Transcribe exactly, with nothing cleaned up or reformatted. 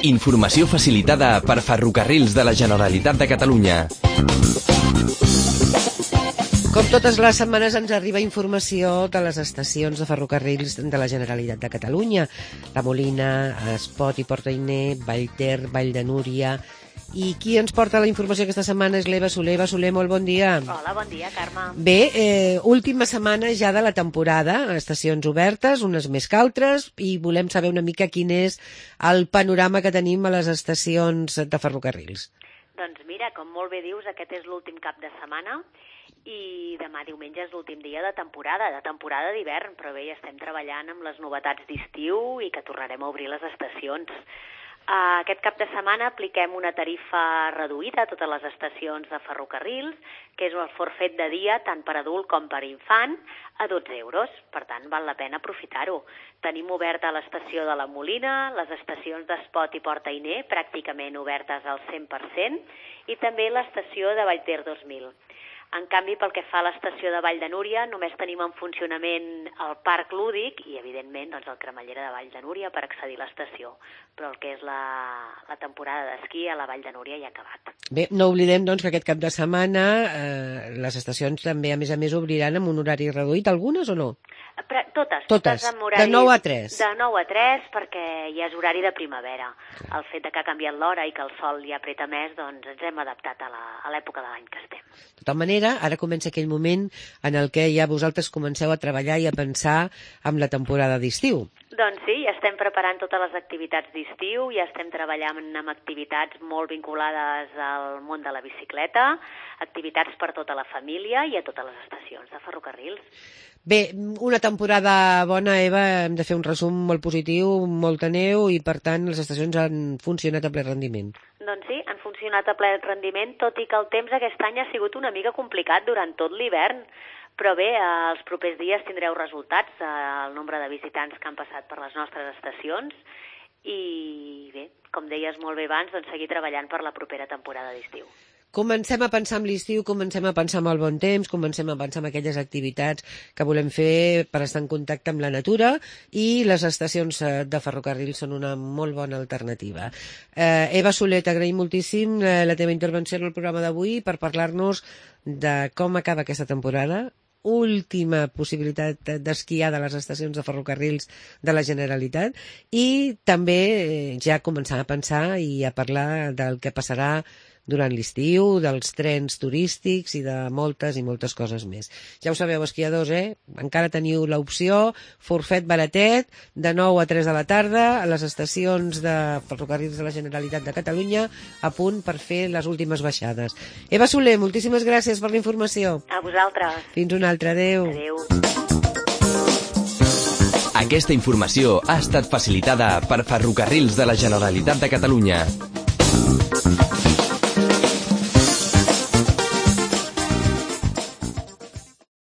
Informació facilitada per Ferrocarrils de la Generalitat de Catalunya. Com totes les setmanes ens arriba informació de les estacions de ferrocarrils de la Generalitat de Catalunya. La Molina, Espot i Port-Ainé, Vallter, Vall de Núria. I qui ens porta la informació aquesta setmana és l'Eva Soler. Eva Soler, molt bon dia. Hola, bon dia, Carme. Bé, eh, última setmana ja de la temporada, estacions obertes, unes més que altres, i volem saber una mica quin és el panorama que tenim a les estacions de ferrocarrils. Doncs mira, com molt bé dius, aquest és l'últim cap de setmana i demà diumenge és l'últim dia de temporada, de temporada d'hivern, però bé, ja estem treballant amb les novetats d'estiu i que tornarem a obrir les estacions. Uh, aquest cap de setmana apliquem una tarifa reduïda a totes les estacions de ferrocarrils, que és el forfet de dia tant per adult com per infant, a dotze euros. Per tant, val la pena aprofitar-ho. Tenim oberta l'estació de la Molina, les estacions d'Espot i Port-Ainé, pràcticament obertes al cent per cent, i també l'estació de Vallter dos mil. En canvi, pel que fa a l'estació de Vall de Núria, només tenim en funcionament el parc lúdic i, evidentment, doncs, el cremallera de Vall de Núria per accedir a l'estació. Però el que és la, la temporada d'esquí a la Vall de Núria ja ha acabat. Bé, no oblidem doncs, que aquest cap de setmana eh, les estacions també, a més a més, obriran amb un horari reduït, algunes o no? Però, totes, totes, totes amb horari... De nou a tres. De nou a tres, perquè ja és horari de primavera. Clar. El fet de que ha canviat l'hora i que el sol ja apreta més, doncs ens hem adaptat a l'època de l'any que estem. De tota manera, ara comença aquell moment en el que ja vosaltres comenceu a treballar i a pensar en la temporada d'estiu. Doncs sí, ja estem preparant totes les activitats d'estiu, ja estem treballant amb activitats molt vinculades al món de la bicicleta, activitats per tota la família i a totes les estacions de ferrocarrils. Bé, una temporada bona, Eva, hem de fer un resum molt positiu, molta neu i, per tant, les estacions han funcionat a ple rendiment. Doncs sí, han funcionat a ple rendiment, tot i que el temps aquest any ha sigut una mica complicat durant tot l'hivern. Però bé, els propers dies tindreu resultats, el nombre de visitants que han passat per les nostres estacions i bé, com deies molt bé abans, doncs seguir treballant per la propera temporada d'estiu. Comencem a pensar en l'estiu, comencem a pensar en el bon temps, comencem a pensar en aquelles activitats que volem fer per estar en contacte amb la natura i les estacions de ferrocarril són una molt bona alternativa. Eh, Eva Soler, t'agraïm moltíssim eh, la teva intervenció en el programa d'avui per parlar-nos de com acaba aquesta temporada, última possibilitat d'esquiar de les estacions de ferrocarrils de la Generalitat i també ja començar a pensar i a parlar del que passarà durant l'estiu, dels trens turístics i de moltes i moltes coses més. Ja ho sabeu, esquiadors, eh? Encara teniu l'opció, forfet baratet, de nou a tres de la tarda, a les estacions de ferrocarrils de la Generalitat de Catalunya, a punt per fer les últimes baixades. Eva Soler, moltíssimes gràcies per la informació. A vosaltres. Fins una altra, adeu. Adeu. Aquesta informació ha estat facilitada per Ferrocarrils de la Generalitat de Catalunya.